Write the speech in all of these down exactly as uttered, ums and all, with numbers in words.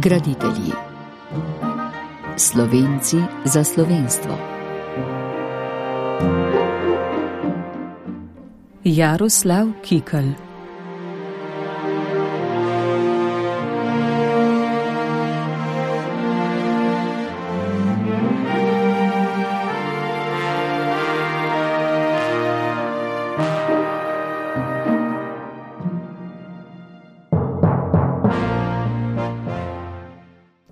Graditelji. Slovenci za slovenstvo. Jaroslav Kikelj.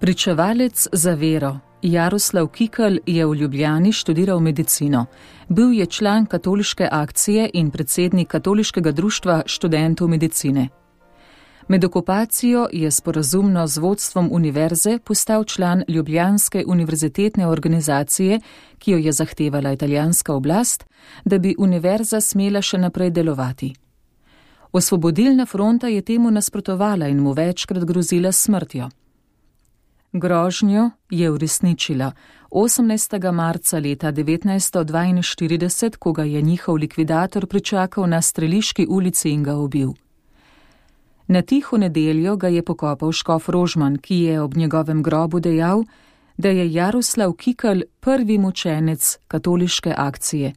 Pričevalec za vero. Jaroslav Kikelj je v Ljubljani študiral medicino. Bil je član katoliške akcije in predsednik Katoliškega društva študentov medicine. Med okupacijo je sporazumno z vodstvom univerze postal član Ljubljanske univerzitetne organizacije, ki jo je zahtevala italijanska oblast, da bi univerza smela še naprej delovati. Osvobodilna fronta je temu nasprotovala in mu večkrat grozila s smrtjo. Grožnjo je uresničila osemnajstega marca leta devetnajststo dvainštirideset, ko ga je njihov likvidator pričakal na Streliški ulici in ga ubil. Na tiho nedeljo ga je pokopal škof Rožman, ki je ob njegovem grobu dejal, da je Jaroslav Kikelj prvi mučenec katoliške akcije.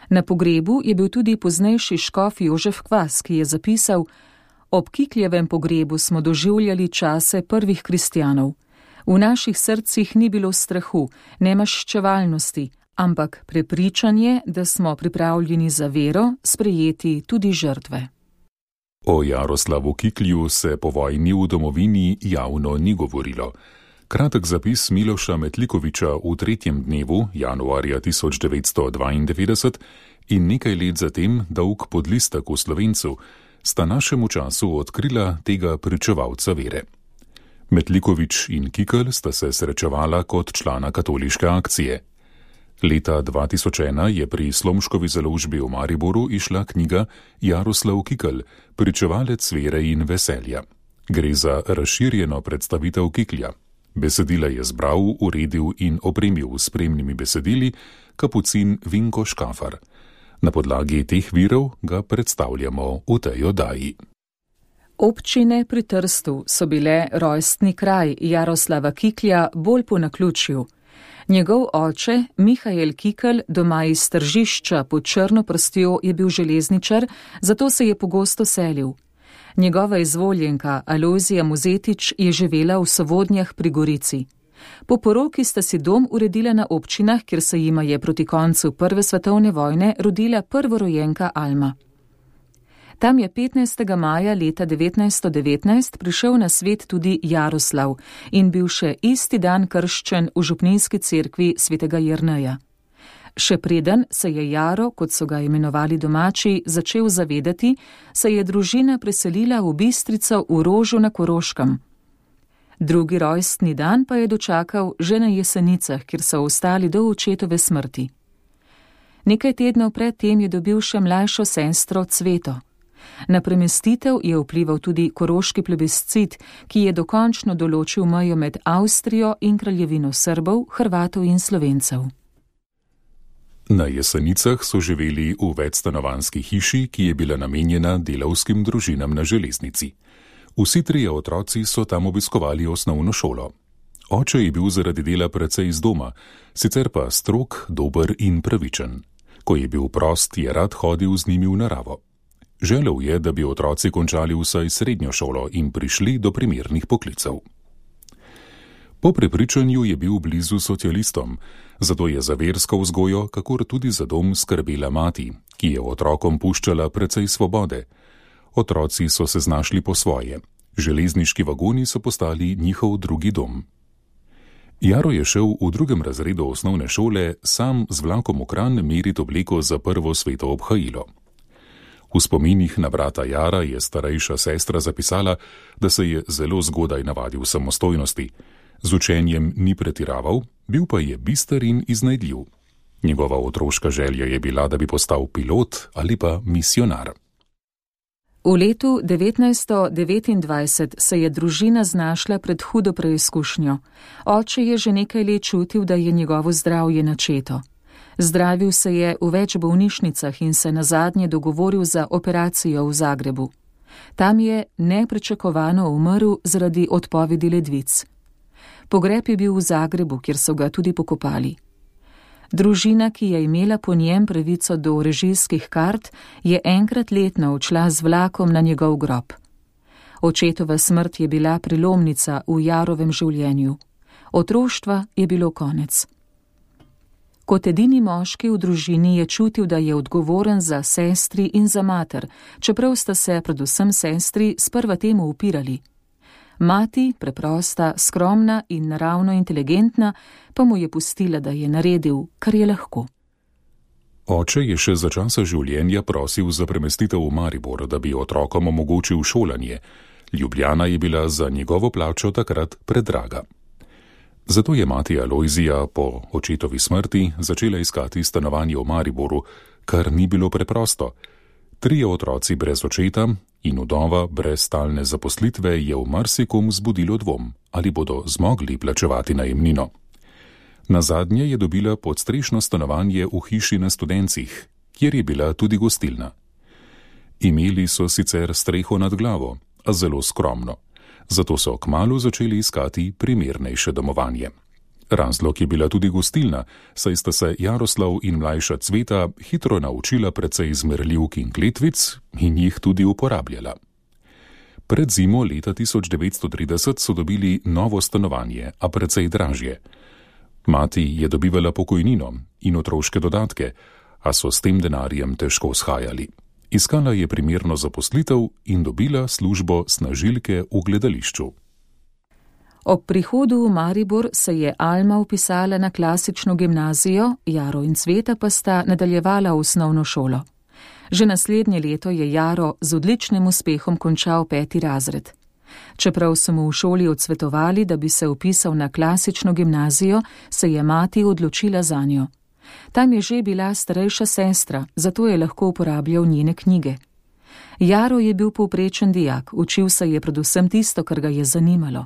Na pogrebu je bil tudi poznejši škof Jožef Kvas, ki je zapisal: Ob Kikljevem pogrebu smo doživljali čase prvih kristjanov. V naših srcih ni bilo strahu, ne maščevalnosti, ampak prepričanje, da smo pripravljeni za vero sprejeti tudi žrtve. O Jaroslavu Kiklju se po vojni v domovini javno ni govorilo. Kratek zapis Miloša Metlikoviča v tretjem dnevu, januarja tisoč devetsto dvaindevetdeset, in nekaj let zatem dolg podlistek v Slovencu, sta našemu času odkrila tega pričevalca vere. Metlikovič in Kikelj sta se srečevala kot člana katoliške akcije. Leta dva tisoč ena je pri Slomškovi založbi v Mariboru išla knjiga Jaroslav Kikelj, pričevalec vere in veselja. Gre za razširjeno predstavitev Kiklja. Besedila je zbral, uredil in opremil s spremnimi besedili kapucin Vinko Škafar. Na podlagi teh virov ga predstavljamo v tej oddaji. Občine pri Trstu so bile rojstni kraj Jaroslava Kiklja bolj po naključju. Njegov oče, Mihael Kikelj, doma iz Tržišča pod Črno prstjo, je bil železničar, zato se je pogosto selil. Njegova izvoljenka Alojzija Mozetič je živela v Sovodnjah pri Gorici. Po poroki sta si dom uredila na občinah, kjer se jima je proti koncu prve svetovne vojne rodila prvorojenka Alma. Tam je petnajstega maja leta devetnajststo devetnajst prišel na svet tudi Jaroslav in bil še isti dan krščen v župnijski cerkvi svetega Jerneja. Še preden se je Jaro, kot so ga imenovali domači, začel zavedati, se je družina preselila v Bistrico v Rožu na Koroškem. Drugi rojstni dan pa je dočakal že na Jesenicah, kjer so ostali do očetove smrti. Nekaj tednov pred tem je dobil še mlajšo sestro Cveto. Na premestitev je vplival tudi koroški plebiscit, ki je dokončno določil mejo med Avstrijo in kraljevino Srbov, Hrvatov in Slovencev. Na Jesenicah so živeli v večstanovanjski hiši, ki je bila namenjena delavskim družinam na železnici. Vsi trije otroci so tam obiskovali osnovno šolo. Oče je bil zaradi dela precej iz doma, sicer pa strog, dober in pravičen. Ko je bil prost, je rad hodil z njimi v naravo. Želel je, da bi otroci končali vsaj srednjo šolo in prišli do primernih poklicev. Po prepričanju je bil blizu socialistom, zato je za versko vzgojo, kakor tudi za dom, skrbela mati, ki je otrokom puščala precej svobode. Otroci so se znašli po svoje. Železniški vagoni so postali njihov drugi dom. Jaro je šel v drugem razredu osnovne šole sam z vlakom v Kranj merit obleko za prvo sveto obhajilo. V spominih na brata Jara je starejša sestra zapisala, da se je zelo zgodaj navadil samostojnosti. Z učenjem ni pretiraval, bil pa je bister in iznajdljiv. Njegova otroška želja je bila, da bi postal pilot ali pa misionar. V letu devetnajststo devetindvajset se je družina znašla pred hudo preizkušnjo. Oče je že nekaj let čutil, da je njegovo zdravje načeto. Zdravil se je v več bolnišnicah in se nazadnje dogovoril za operacijo v Zagrebu. Tam je nepričakovano umrl zaradi odpovedi ledvic. Pogreb je bil v Zagrebu, kjer so ga tudi pokopali. Družina, ki je imela po njem pravico do režijskih kart, je enkrat letno odšla z vlakom na njegov grob. Očetova smrt je bila prelomnica v Jarovem življenju. Otroštva je bilo konec. Kot edini moški v družini je čutil, da je odgovoren za sestri in za mater, čeprav sta se predvsem sestri sprva temu upirali. Mati, preprosta, skromna in naravno inteligentna, pa mu je pustila, da je naredil, kar je lahko. Oče je še za časa življenja prosil za premestitev v Maribor, da bi otrokom omogočil šolanje. Ljubljana je bila za njegovo plačo takrat predraga. Zato je mati Alojzija po očetovi smrti začela iskati stanovanje v Mariboru, kar ni bilo preprosto. Trije otroci brez očeta in vdova brez stalne zaposlitve je v marsikom zbudilo dvom, ali bodo zmogli plačevati najemnino. Nazadnje je dobila podstrešno stanovanje v hiši na Studencih, kjer je bila tudi gostilna. Imeli so sicer streho nad glavo, a zelo skromno. Zato so kmalu začeli iskati primernejše domovanje. Razlog je bila tudi gostilna, saj sta se Jaroslav in mlajša Cveta hitro naučila precej zmerljivk in kletvic in jih tudi uporabljala. Pred zimo leta tisoč devetsto trideset so dobili novo stanovanje, a precej dražje. Mati je dobivala pokojnino in otroške dodatke, a so s tem denarjem težko shajali. Iskala je primerno zaposlitev in dobila službo snažilke v gledališču. Ob prihodu v Maribor se je Alma vpisala na klasično gimnazijo, Jaro in Cveta pa sta nadaljevala osnovno šolo. Že naslednje leto je Jaro z odličnim uspehom končal peti razred. Čeprav so mu v šoli odsvetovali, da bi se vpisal na klasično gimnazijo, se je mati odločila zanjo. Tam je že bila starejša sestra, zato je lahko uporabljal njene knjige. Jaro je bil povprečen dijak, učil se je predvsem tisto, kar ga je zanimalo.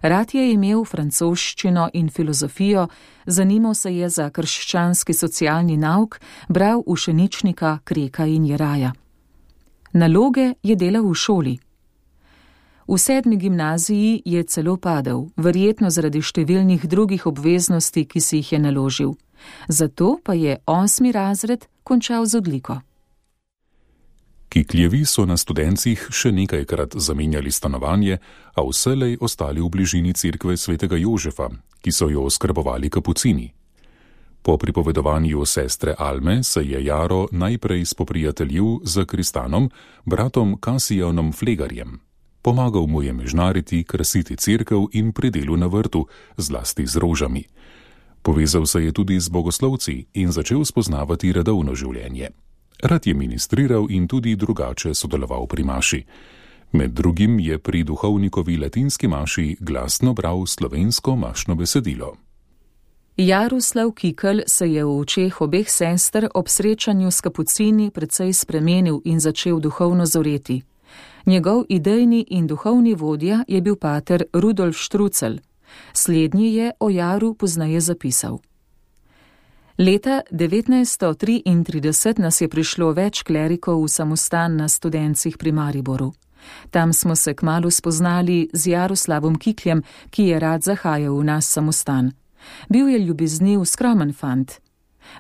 Rad je imel francoščino in filozofijo, zanimal se je za krščanski socialni nauk, bral Ušeničnika, Kreka in Jeraja. Naloge je delal v šoli. V sedmi gimnaziji je celo padel, verjetno zaradi številnih drugih obveznosti, ki si jih je naložil. Zato pa je osmi razred končal z odliko. Kikljevi so na Studencih še nekajkrat zamenjali stanovanje, a vselej ostali v bližini cerkve svetega Jožefa, ki so jo oskrbovali kapucini. Po pripovedovanju sestre Alme se je Jaro najprej spoprijateljil z Kristanom, bratom Kasijanom Flegarjem. Pomagal mu je mežnariti, krasiti cerkev in pri delu na vrtu, zlasti z rožami. Povezal se je tudi z bogoslovci in začel spoznavati redovno življenje. Rad je ministriral in tudi drugače sodeloval pri maši. Med drugim je pri duhovnikovi latinski maši glasno bral slovensko mašno besedilo. Jaroslav Kikelj se je v očeh obeh sester ob srečanju s kapucini precej spremenil in začel duhovno zoreti. Njegov idejni in duhovni vodja je bil pater Rudolf Štrucelj. Slednji je o Jaru pozneje zapisal. Leta devetnajststo triintrideset nas je prišlo več klerikov v samostan na Studencih pri Mariboru. Tam smo se kmalu spoznali z Jaroslavom Kikljem, ki je rad zahajal v naš samostan. Bil je ljubezniv, skromen fant.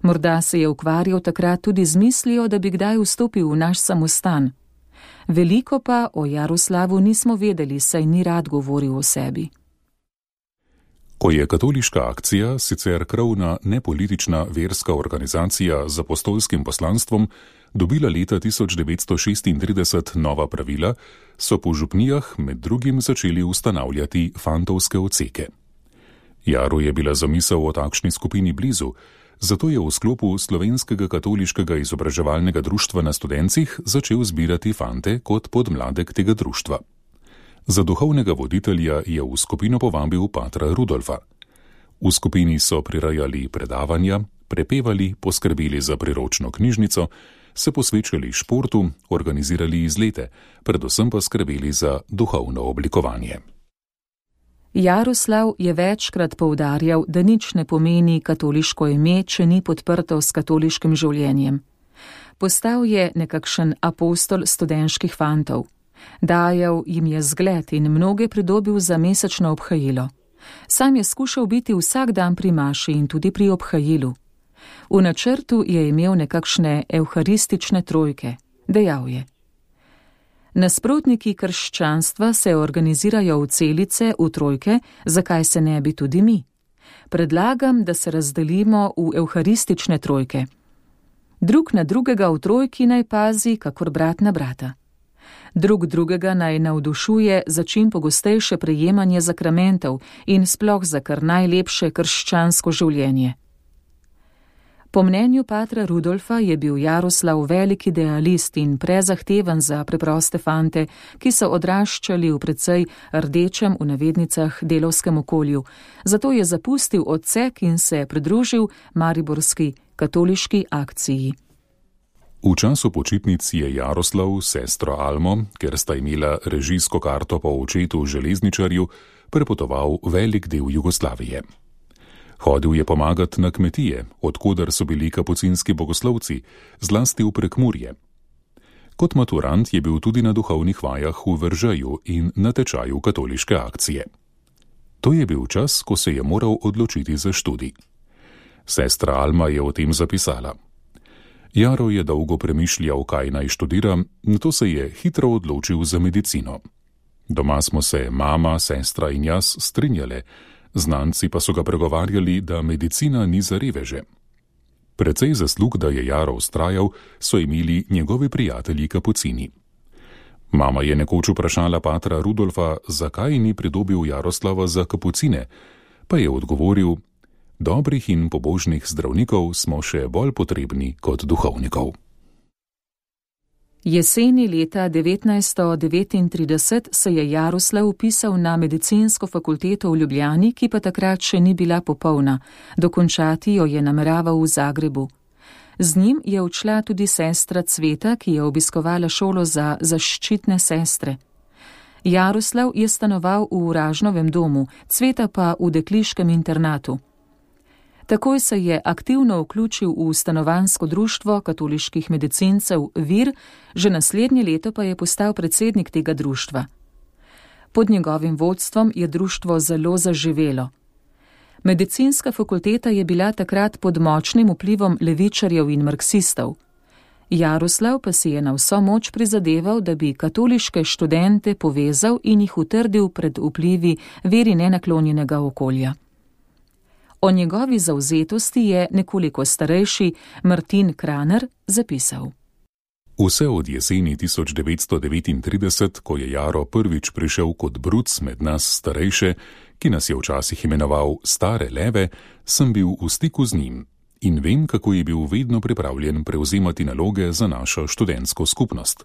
Morda se je ukvarjal takrat tudi z mislijo, da bi kdaj vstopil v naš samostan. Veliko pa o Jaroslavu nismo vedeli, saj ni rad govoril o sebi. Ko je katoliška akcija, sicer krovna nepolitična verska organizacija z apostolskim poslanstvom, dobila leta tisoč devetsto šestintrideset nova pravila, so po župnijah med drugim začeli ustanavljati fantovske odseke. Jaru je bila zamisel o takšni skupini blizu, zato je v sklopu Slovenskega katoliškega izobraževalnega društva na Studencih začel zbirati fante kot podmladek tega društva. Za duhovnega voditelja je v skupino povabil patra Rudolfa. V skupini so prirajali predavanja, prepevali, poskrbeli za priročno knjižnico, se posvečali športu, organizirali izlete, predvsem pa skrbeli za duhovno oblikovanje. Jaroslav je večkrat poudarjal, da nič ne pomeni katoliško ime, če ni podprto s katoliškim življenjem. Postal je nekakšen apostol studenških fantov. Dajal jim je zgled in mnoge pridobil za mesečno obhajilo. Sam je skušal biti vsak dan pri maši in tudi pri obhajilu. V načrtu je imel nekakšne evharistične trojke, dejal je. Nasprotniki krščanstva se organizirajo v celice, v trojke, zakaj se ne bi tudi mi? Predlagam, da se razdelimo v evharistične trojke. Drug na drugega v trojki naj pazi, kakor brat na brata. Drug drugega naj navdušuje za čim pogostejše prejemanje zakramentov in sploh za kar najlepše krščansko življenje. Po mnenju patra Rudolfa je bil Jaroslav velik idealist in prezahteven za preproste fante, ki so odraščali v precej rdečem v navednicah delovskem okolju, zato je zapustil odsek in se pridružil mariborski katoliški akciji. V času počitnic je Jaroslav s sestro Almo, ker sta imela režijsko karto po očetu železničarju, prepotoval velik del Jugoslavije. Hodil je pomagati na kmetije, odkoder so bili kapucinski bogoslovci, zlasti v Prekmurje. Kot maturant je bil tudi na duhovnih vajah v Veržeju in na tečaju katoliške akcije. To je bil čas, ko se je moral odločiti za študij. Sestra Alma je o tem zapisala. Jaro je dolgo premišljal, kaj naj študira, nato se je hitro odločil za medicino. Doma smo se mama, sestra in jaz strinjale, znanci pa so ga pregovarjali, da medicina ni za reveže. Precej zaslug, da je Jaro vztrajal, so imeli njegovi prijatelji kapucini. Mama je nekoč vprašala patra Rudolfa, zakaj ni pridobil Jaroslava za kapucine, pa je odgovoril: dobrih in pobožnih zdravnikov smo še bolj potrebni kot duhovnikov. Jeseni leta devetnajststo devetintrideset se je Jaroslav vpisal na medicinsko fakulteto v Ljubljani, ki pa takrat še ni bila popolna, dokončati jo je nameraval v Zagrebu. Z njim je odšla tudi sestra Cveta, ki je obiskovala šolo za zaščitne sestre. Jaroslav je stanoval v Ražnovem domu, Cveta pa v dekliškem internatu. Takoj se je aktivno vključil v stanovanjsko društvo katoliških medicincev Vir, že naslednje leto pa je postal predsednik tega društva. Pod njegovim vodstvom je društvo zelo zaživelo. Medicinska fakulteta je bila takrat pod močnim vplivom levičarjev in marksistov. Jaroslav pa si je na vso moč prizadeval, da bi katoliške študente povezal in jih utrdil pred vplivi veri nenaklonjenega okolja. O njegovi zavzetosti je nekoliko starejši Martin Kraner zapisal. Vse od jeseni tisoč devetsto devetintrideset, ko je Jaro prvič prišel kot bruc med nas starejše, ki nas je včasih imenoval stare leve, sem bil v stiku z njim in vem, kako je bil vedno pripravljen prevzemati naloge za našo študentsko skupnost.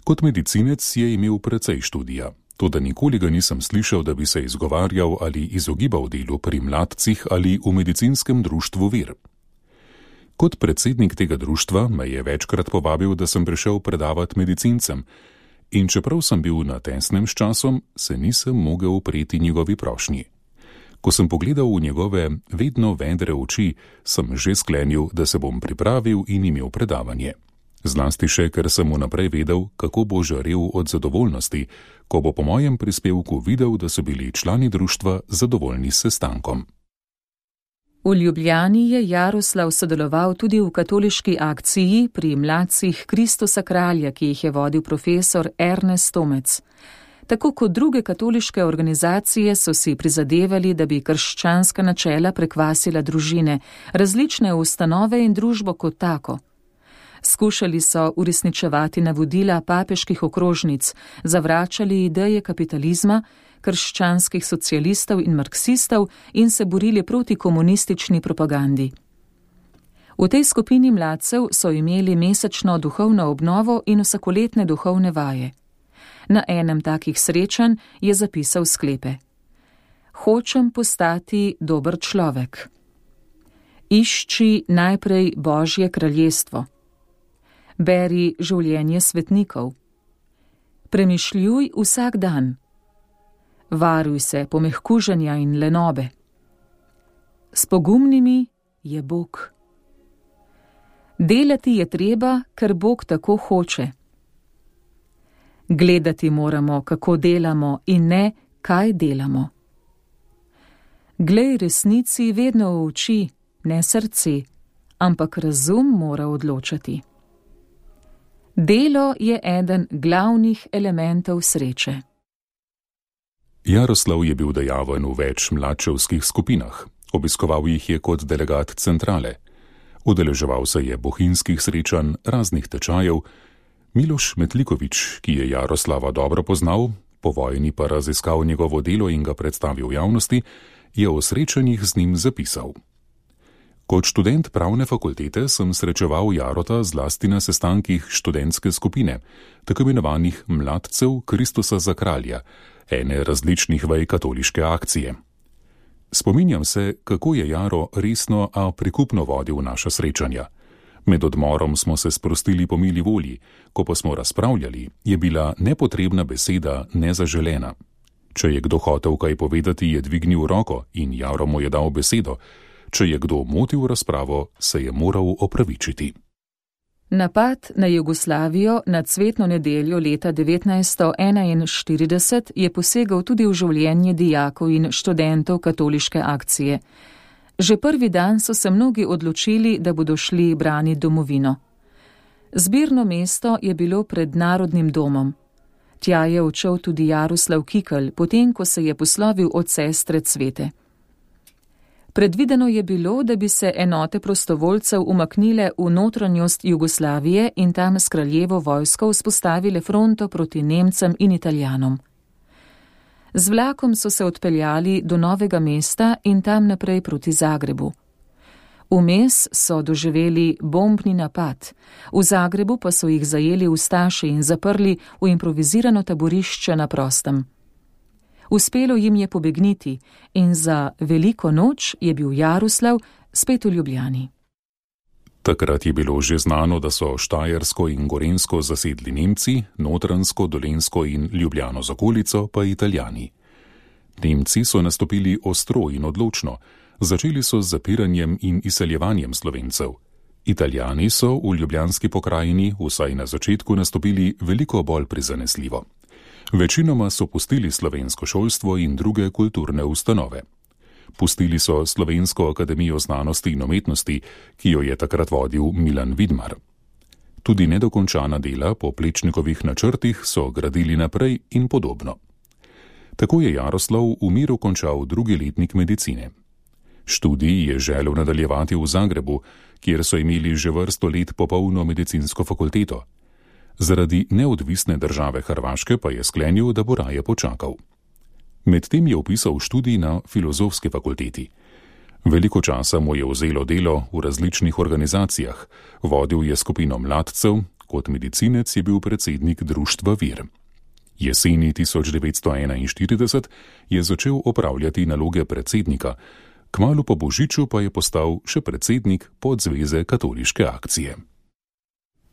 Kot medicinec je imel precej študija. Toda nikoli ga nisem slišal, da bi se izgovarjal ali izogibal delu pri mladcih ali v medicinskem društvu Vir. Kot predsednik tega društva me je večkrat povabil, da sem prišel predavati medicincem, in čeprav sem bil na tesnem s časom, se nisem mogel upreti njegovi prošnji. Ko sem pogledal v njegove vedno vedre oči, sem že sklenil, da se bom pripravil in imel predavanje. Zlasti še, ker sem vnaprej vedel, kako bo žarel od zadovoljnosti, ko bo po mojem prispevku videl, da so bili člani društva zadovoljni s sestankom. V Ljubljani je Jaroslav sodeloval tudi v katoliški akciji pri mladcih Kristusa kralja, ki jih je vodil profesor Ernest Tomec. Tako kot druge katoliške organizacije so si prizadevali, da bi krščanska načela prekvasila družine, različne ustanove in družbo kot tako. Skušali so uresničevati navodila papeških okrožnic, zavračali ideje kapitalizma, krščanskih socialistov in marksistov in se borili proti komunistični propagandi. V tej skupini mladcev so imeli mesečno duhovno obnovo in vsakoletne duhovne vaje. Na enem takih srečanj je zapisal sklepe: Hočem postati dober človek. Išči najprej Božje kraljestvo. Beri življenje svetnikov. Premišljuj vsak dan. Varuj se pomehkuženja in lenobe. S pogumnimi je Bog. Delati je treba, ker Bog tako hoče. Gledati moramo, kako delamo in ne, kaj delamo. Glej resnici vedno v oči, ne srce, ampak razum mora odločati. Delo je eden glavnih elementov sreče. Jaroslav je bil dejaven v več mladčevskih skupinah. Obiskoval jih je kot delegat centrale. Udeleževal se je bohinjskih srečanj, raznih tečajev. Miloš Metliković, ki je Jaroslava dobro poznal, po vojni pa raziskal njegovo delo in ga predstavil javnosti, je o srečanjih z njim zapisal. Kot študent pravne fakultete sem srečeval Jarota zlasti na sestankih študentske skupine, tako imenovanih mladcev Kristusa za kralja, ene različnih vej katoliške akcije. Spominjam se, kako je Jaro resno, a prikupno vodil naša srečanja. Med odmorom smo se sprostili po mili volji, ko pa smo razpravljali, je bila nepotrebna beseda nezaželena. Če je kdo hotel kaj povedati, je dvignil roko in Jaro mu je dal besedo. Če je kdo motil razpravo, se je moral opravičiti. Napad na Jugoslavijo na cvetno nedeljo leta devetnajststo enainštirideset je posegal tudi v življenje dijakov in študentov katoliške akcije. Že prvi dan so se mnogi odločili, da bodo šli braniti domovino. Zbirno mesto je bilo pred Narodnim domom. Tja je odšel tudi Jaroslav Kikelj, potem ko se je poslovil od sestre Cvete. Predvideno je bilo, da bi se enote prostovoljcev umaknile v notranjost Jugoslavije in tam s kraljevo vojsko vzpostavile fronto proti Nemcem in Italijanom. Z vlakom so se odpeljali do Novega mesta in tam naprej proti Zagrebu. Vmes so doživeli bombni napad, v Zagrebu pa so jih zajeli ustaši in zaprli v improvizirano taborišče na prostem. Uspelo jim je pobegniti in za veliko noč je bil Jaroslav spet v Ljubljani. Takrat je bilo že znano, da so Štajersko in Gorenjsko zasedli Nemci, Notranjsko, Dolenjsko in Ljubljano z okolico pa Italijani. Nemci so nastopili ostro in odločno, začeli so z zapiranjem in izseljevanjem Slovencev. Italijani so v ljubljanski pokrajini vsaj na začetku nastopili veliko bolj prizanesljivo. Večinoma so pustili slovensko šolstvo in druge kulturne ustanove. Pustili so Slovensko akademijo znanosti in umetnosti, ki jo je takrat vodil Milan Vidmar. Tudi nedokončana dela po Plečnikovih načrtih so gradili naprej in podobno. Tako je Jaroslav v miru končal drugi letnik medicine. Študij je želel nadaljevati v Zagrebu, kjer so imeli že vrsto let popolno medicinsko fakulteto. Zaradi neodvisne države Hrvaške pa je sklenil, da bo raje počakal. Medtem je opisal študij na filozofski fakulteti. Veliko časa mu je vzelo delo v različnih organizacijah, vodil je skupino mladcev, kot medicinec je bil predsednik društva Vir. Jeseni tisoč devetsto enainštirideset je začel opravljati naloge predsednika, kmalu po božiču pa je postal še predsednik podzveze katoliške akcije.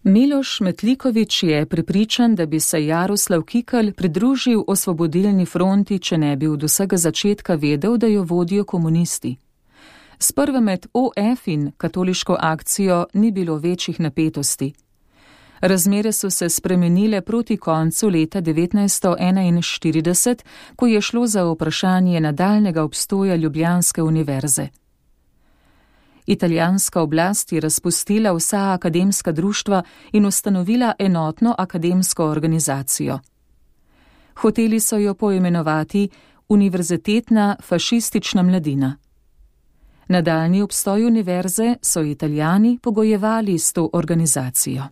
Miloš Metliković je prepričan, da bi se Jaroslav Kikelj pridružil Osvobodilni fronti, če ne bi od vsega začetka vedel, da jo vodijo komunisti. Sprva med O F in katoliško akcijo ni bilo večjih napetosti. Razmere so se spremenile proti koncu leta devetnajststo enainštirideset, ko je šlo za vprašanje nadaljnega obstoja Ljubljanske univerze. Italijanska oblast je razpustila vsa akademska društva in ustanovila enotno akademsko organizacijo. Hoteli so jo poimenovati Univerzitetna fašistična mladina. Nadaljnji obstoj univerze so Italijani pogojevali s to organizacijo.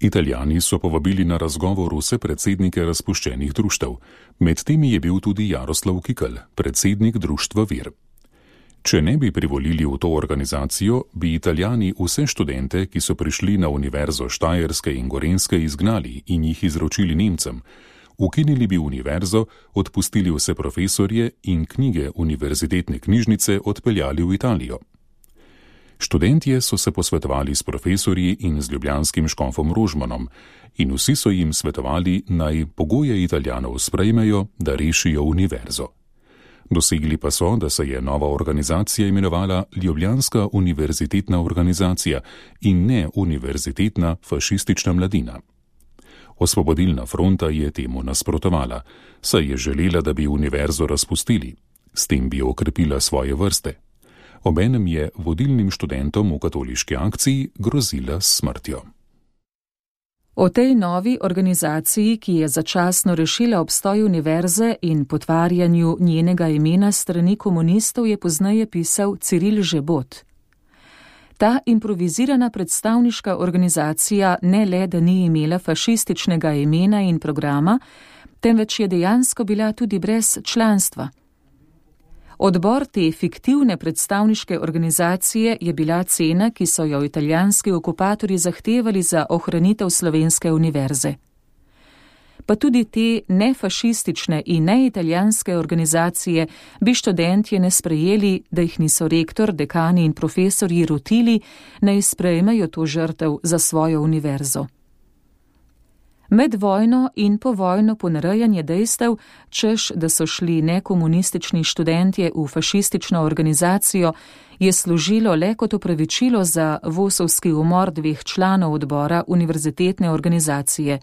Italijani so povabili na razgovor vse predsednike razpuščenih društev. Med temi je bil tudi Jaroslav Kikelj, predsednik društva Vir. Če ne bi privolili v to organizacijo, bi Italijani vse študente, ki so prišli na univerzo Štajerske in Gorenjske, izgnali in jih izročili Nemcem. Ukinili bi univerzo, odpustili vse profesorje in knjige univerzitetne knjižnice odpeljali v Italijo. Študentje so se posvetovali s profesorji in z ljubljanskim škofom Rožmanom in vsi so jim svetovali, naj pogoje Italijanov sprejmejo, da rešijo univerzo. Dosegli pa so, da se je nova organizacija imenovala Ljubljanska univerzitetna organizacija in ne Univerzitetna fašistična mladina. Osvobodilna fronta je temu nasprotovala, saj je želela, da bi univerzo razpustili. S tem bi okrepila svoje vrste. Obenem je vodilnim študentom v katoliški akciji grozila s smrtjo. O tej novi organizaciji, ki je začasno rešila obstoj univerze in potvarjanju njenega imena strani komunistov, je pozneje pisal Ciril Žebot. Ta improvizirana predstavniška organizacija ne le, da ni imela fašističnega imena in programa, temveč je dejansko bila tudi brez članstva. Odbor te fiktivne predstavniške organizacije je bila cena, ki so jo italijanski okupatorji zahtevali za ohranitev slovenske univerze. Pa tudi te nefašistične in neitalijanske organizacije bi študentje ne sprejeli, da jih niso rektor, dekani in profesorji rotili, naj sprejmejo to žrtev za svojo univerzo. Med vojno in povojno ponarejanje dejstev, češ, da so šli nekomunistični študentje v fašistično organizacijo, je služilo le kot opravičilo za vosovski umor dveh članov odbora univerzitetne organizacije,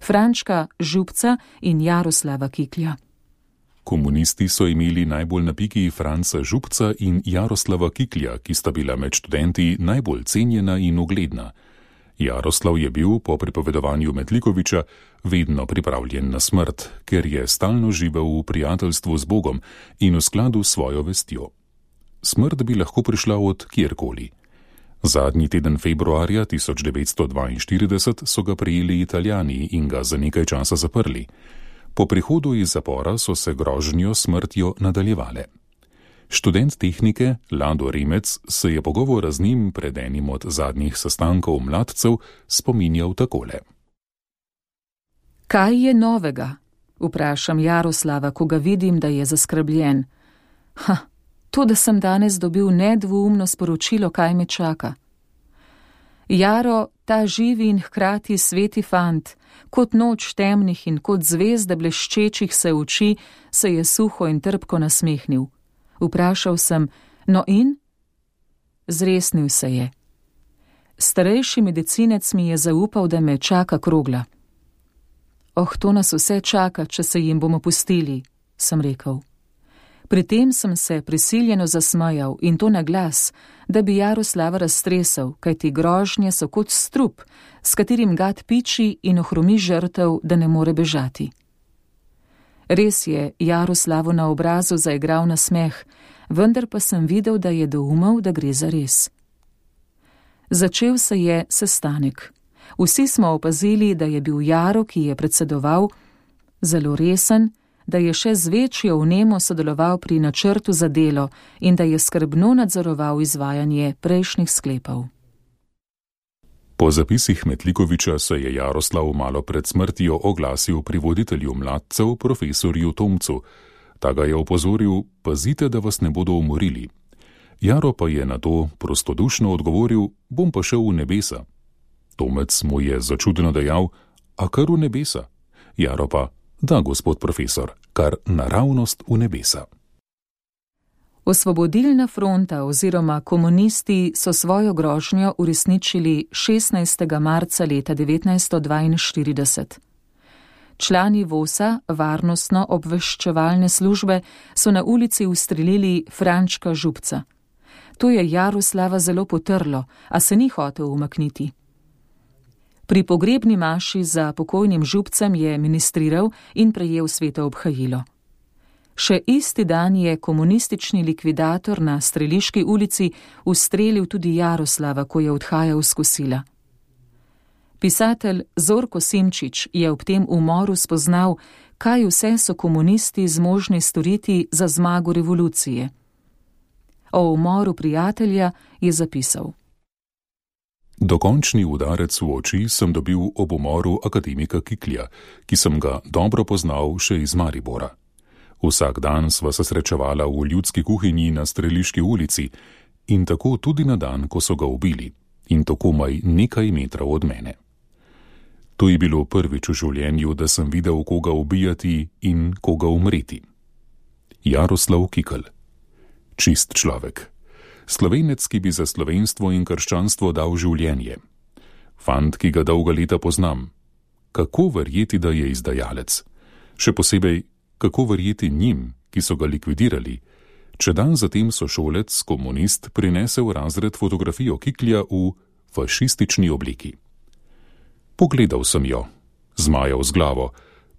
Frančka Župca in Jaroslava Kiklja. Komunisti so imeli najbolj na piki Franca Župca in Jaroslava Kiklja, ki sta bila med študenti najbolj cenjena in ugledna. Jaroslav je bil, po pripovedovanju Metlikoviča, vedno pripravljen na smrt, ker je stalno živel v prijateljstvu z Bogom in v skladu s svojo vestjo. Smrt bi lahko prišla od kjerkoli. Zadnji teden februarja tisoč devetsto dvainštirideset so ga prijeli Italijani in ga za nekaj časa zaprli. Po prihodu iz zapora so se grožnjo smrtjo nadaljevale. Študent tehnike Lado Remec se je pogovora z njim pred enim od zadnjih sestankov mladcev spominjal takole. Kaj je novega? Vprašam Jaroslava, ko ga vidim, da je zaskrbljen. Ha, to, da sem danes dobil nedvoumno sporočilo, kaj me čaka. Jaro, ta živi in hkrati sveti fant, kot noč temnih in kot zvezde bleščečih se oči, se je suho in trpko nasmehnil. Vprašal sem, no in? Zresnil se je. Starejši medicinec mi je zaupal, da me čaka krogla. Oh, to nas vse čaka, če se jim bomo pustili, sem rekel. Pri tem sem se prisiljeno zasmajal in to na glas, da bi Jaroslava raztresel, kajti grožnje so kot strup, s katerim gad piči in ohromi žrtev, da ne more bežati. Res je Jaroslavu na obrazu zaigral nasmeh, vendar pa sem videl, da je doumel, da gre za res. Začel se je sestanek. Vsi smo opazili, da je bil Jaro, ki je predsedoval, zelo resen, da je še z večjo vnemo sodeloval pri načrtu za delo in da je skrbno nadzoroval izvajanje prejšnjih sklepov. Po zapisih Metlikoviča se je Jaroslav malo pred smrtjo oglasil pri voditelju mladcev, profesorju Tomcu. Ta ga je opozoril, pazite, da vas ne bodo umorili. Jaro pa je na to prostodušno odgovoril, bom pa šel v nebesa. Tomec mu je začudeno dejal, a kar v nebesa? Jaro pa, da, gospod profesor, kar naravnost v nebesa. Osvobodilna fronta oziroma komunisti so svojo grožnjo uresničili šestnajstega marca leta devetnajststo dvainštirideset. Člani vosa, varnostno-obveščevalne službe, so na ulici ustrelili Frančka Župca. To je Jaroslava zelo potrlo, a se ni hotel umakniti. Pri pogrebni maši za pokojnim Župcem je ministriral in prejel sveto obhajilo. Še isti dan je komunistični likvidator na Streliški ulici ustrelil tudi Jaroslava, ko je odhajal s kosila. Pisatelj Zorko Simčič je ob tem umoru spoznal, kaj vse so komunisti zmožni storiti za zmago revolucije. O umoru prijatelja je zapisal. Dokončni udarec v oči sem dobil ob umoru akademika Kiklja, ki sem ga dobro poznal še iz Maribora. Vsak dan sva se srečevala v ljudski kuhinji na Streliški ulici in tako tudi na dan, ko so ga ubili, in to komaj nekaj metrov od mene. To je bilo prvič v življenju, da sem videl, koga ubijati in koga umreti. Jaroslav Kikl. Čist človek. Slovenec, ki bi za slovenstvo in krščanstvo dal življenje. Fant, ki ga dolga leta poznam. kako verjeti, da je izdajalec? Še posebej, kako verjeti njim, ki so ga likvidirali, če dan zatem sošolec, komunist, prinese v razred fotografijo Kiklja v fašistični obliki. Pogledal sem jo, zmajal z glavo,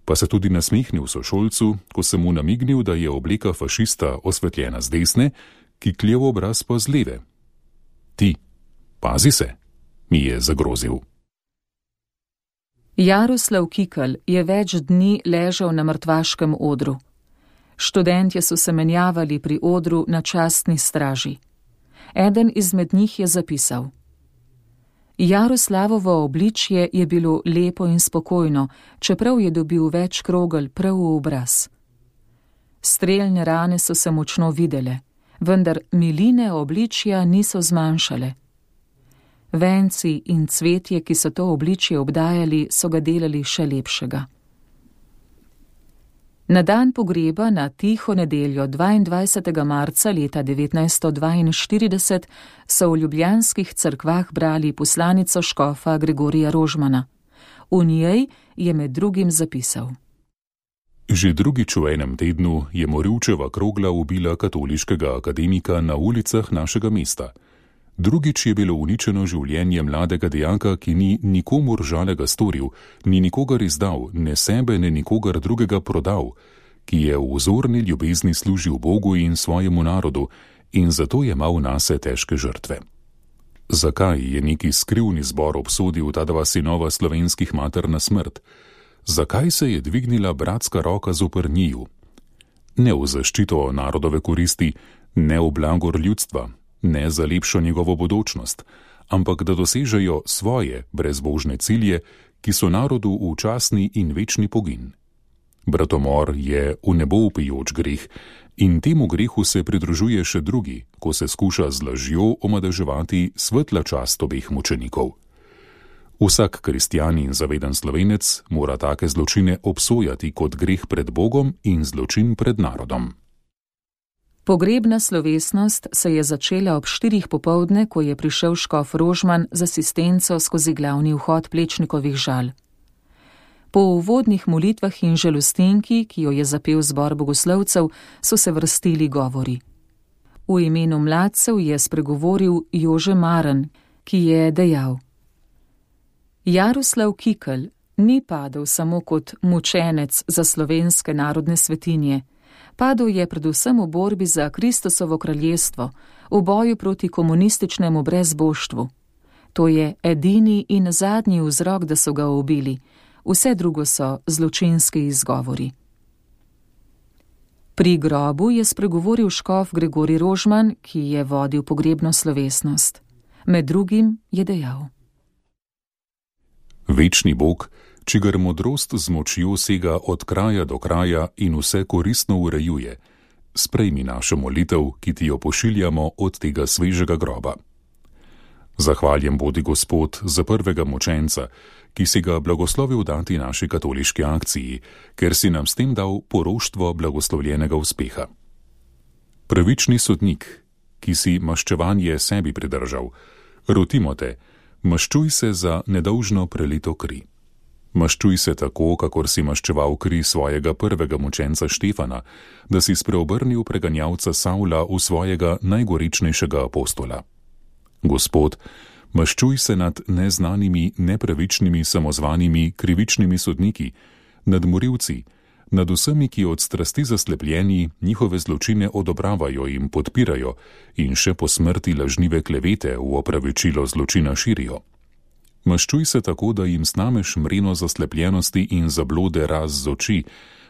pa se tudi nasmehnil sošolcu, ko sem mu namignil, da je obleka fašista osvetljena z desne, Kikljev obraz pa z leve. Ti, pazi se, mi je zagrozil. Jaroslav Kikl je več dni ležal na mrtvaškem odru. Študentje so se menjavali pri odru na častni straži. Eden izmed njih je zapisal: Jaroslavovo obličje je bilo lepo in spokojno, čeprav je dobil več krogel prav v obraz. Streljne rane so se močno videle, vendar miline obličja niso zmanjšale. Venci in cvetje, ki so to obličje obdajali, so ga delali še lepšega. Na dan pogreba na tiho nedeljo dvaindvajsetega marca leta devetnajststo dvainštirideset so v ljubljanskih cerkvah brali poslanico škofa Gregorija Rožmana. V njej je med drugim zapisal: Že drugič v enem tednu je morilčeva krogla ubila katoliškega akademika na ulicah našega mesta. Drugič je bilo uničeno življenje mladega dejaka, ki ni nikomur žalega storil, ni nikogar izdal, ne sebe, ne nikogar drugega prodal, ki je v vzorni ljubezni služil Bogu in svojemu narodu in zato je imel nase težke žrtve. Zakaj je neki skrivni zbor obsodil ta dva sinova slovenskih mater na smrt? Zakaj se je dvignila bratska roka zoper njiju? Ne v zaščito narodove koristi, ne v blagor ljudstva, ne za lepšo njegovo bodočnost, ampak da dosežejo svoje brezbožne cilje, ki so narodu v časni in večni pogin. Bratomor je v nebo vpijoč greh in temu grehu se pridružuje še drugi, ko se skuša z lažjo omadeževati svetla čast obeh mučenikov. Vsak kristjan in zaveden Slovenec mora take zločine obsojati kot greh pred Bogom in zločin pred narodom. Pogrebna slovesnost se je začela ob štirih popoldne, ko je prišel škof Rožman z asistenco skozi glavni vhod Plečnikovih žal. Po uvodnih molitvah in žalostinki, ki jo je zapel zbor bogoslovcev, so se vrstili govori. V imenu mladcev je spregovoril Jože Maren, ki je dejal: Jaroslav Kikl ni padel samo kot mučenec za slovenske narodne svetinje, padel je predvsem v borbi za Kristusovo kraljestvo, v boju proti komunističnemu brezboštvu. To je edini in zadnji vzrok, da so ga ubili, vse drugo so zločinski izgovori. Pri grobu je spregovoril škof Gregorij Rožman, ki je vodil pogrebno slovesnost. Med drugim je dejal: Večni Bog, čigar modrost z močjo sega od kraja do kraja in vse koristno urejuje, sprejmi našo molitev, ki ti jo pošiljamo od tega svežega groba. Zahvaljen bodi Gospod za prvega mučenca, ki si ga blagoslovil dati naši katoliški akciji, ker si nam s tem dal poroštvo blagoslovljenega uspeha. Pravični sodnik, ki si maščevanje sebi pridržal, rotimo te, maščuj se za nedolžno prelito kri. Maščuj se tako, kakor si maščeval kri svojega prvega mučenca Štefana, da si spreobrnil preganjalca Savla v svojega najgoričnejšega apostola. Gospod, maščuj se nad neznanimi, nepravičnimi, samozvanimi, krivičnimi sodniki, nad morilci, nad vsemi, ki od strasti zaslepljeni njihove zločine odobravajo in podpirajo in še po smrti lažnive klevete v opravičilo zločina širijo. Maščuj se tako, da jim snameš mreno zaslepljenosti in zablode raz z oči,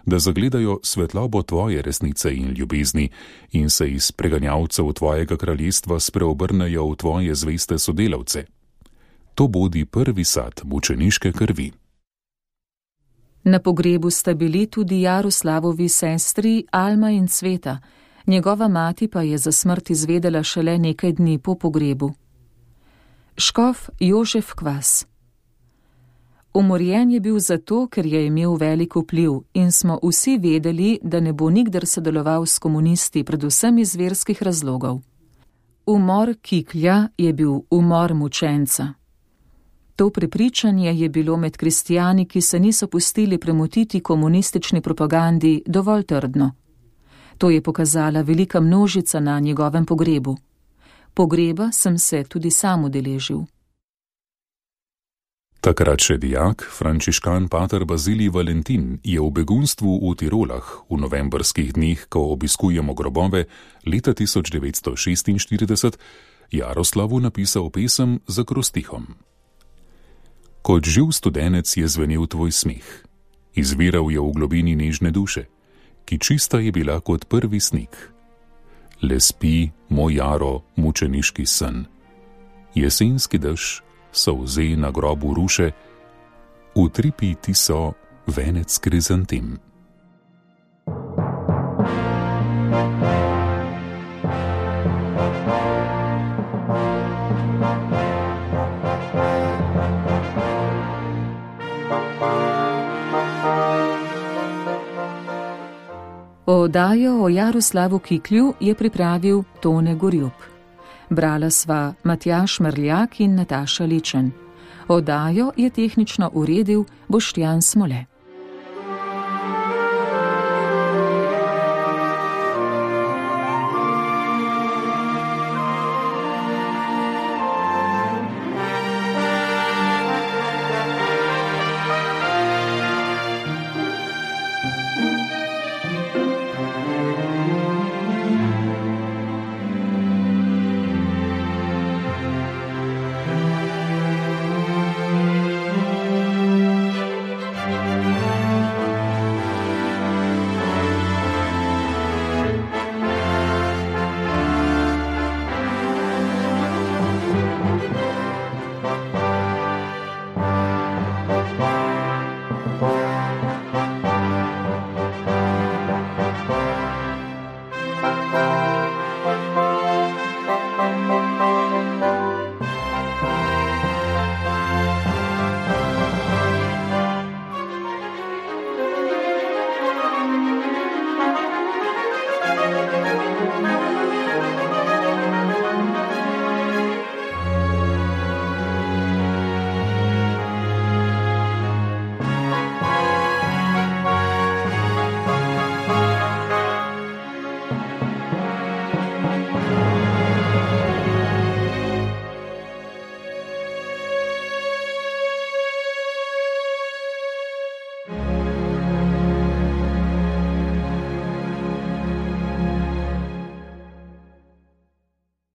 da zagledajo svetlobo tvoje resnice in ljubezni in se iz preganjalcev tvojega kraljestva spreobrnejo v tvoje zveste sodelavce. To bodi prvi sad mučeniške krvi. Na pogrebu sta bili tudi Jaroslavovi sestri Alma in Cveta, njegova mati pa je za smrt izvedela šele nekaj dni po pogrebu. Škof Jožef Kvas. Umorjen je bil zato, ker je imel velik vpliv in smo vsi vedeli, da ne bo nikdar sodeloval s komunisti, predvsem iz verskih razlogov. Umor Kiklja je bil umor mučenca. To prepričanje je bilo med kristijani, ki se niso pustili premotiti komunistični propagandi, dovolj trdno. To je pokazala velika množica na njegovem pogrebu. Pogreba sem se tudi sam udeležil. Takrat še dijak, frančiškan pater Bazilij Valentin, je v begunstvu v Tirolah v novembrskih dneh, ko obiskujemo grobove, leta tisoč devetsto šestinštirideset, Jaroslavu napisal pesem z akrostihom. Kot živ studenec je zvenel tvoj smeh, izviral je v globini nežne duše, ki čista je bila kot prvi sneg. Le spi, moj Jaro, mučeniški sen. Jesenski dež solze na grobu ruše, utripi ti so venec krizantem. Oddajo o Jaroslavu Kiklju je pripravil Tone Gorjup. Brala sva Matjaž Merljak in Nataša Ličen. Oddajo je tehnično uredil Boštjan Smole.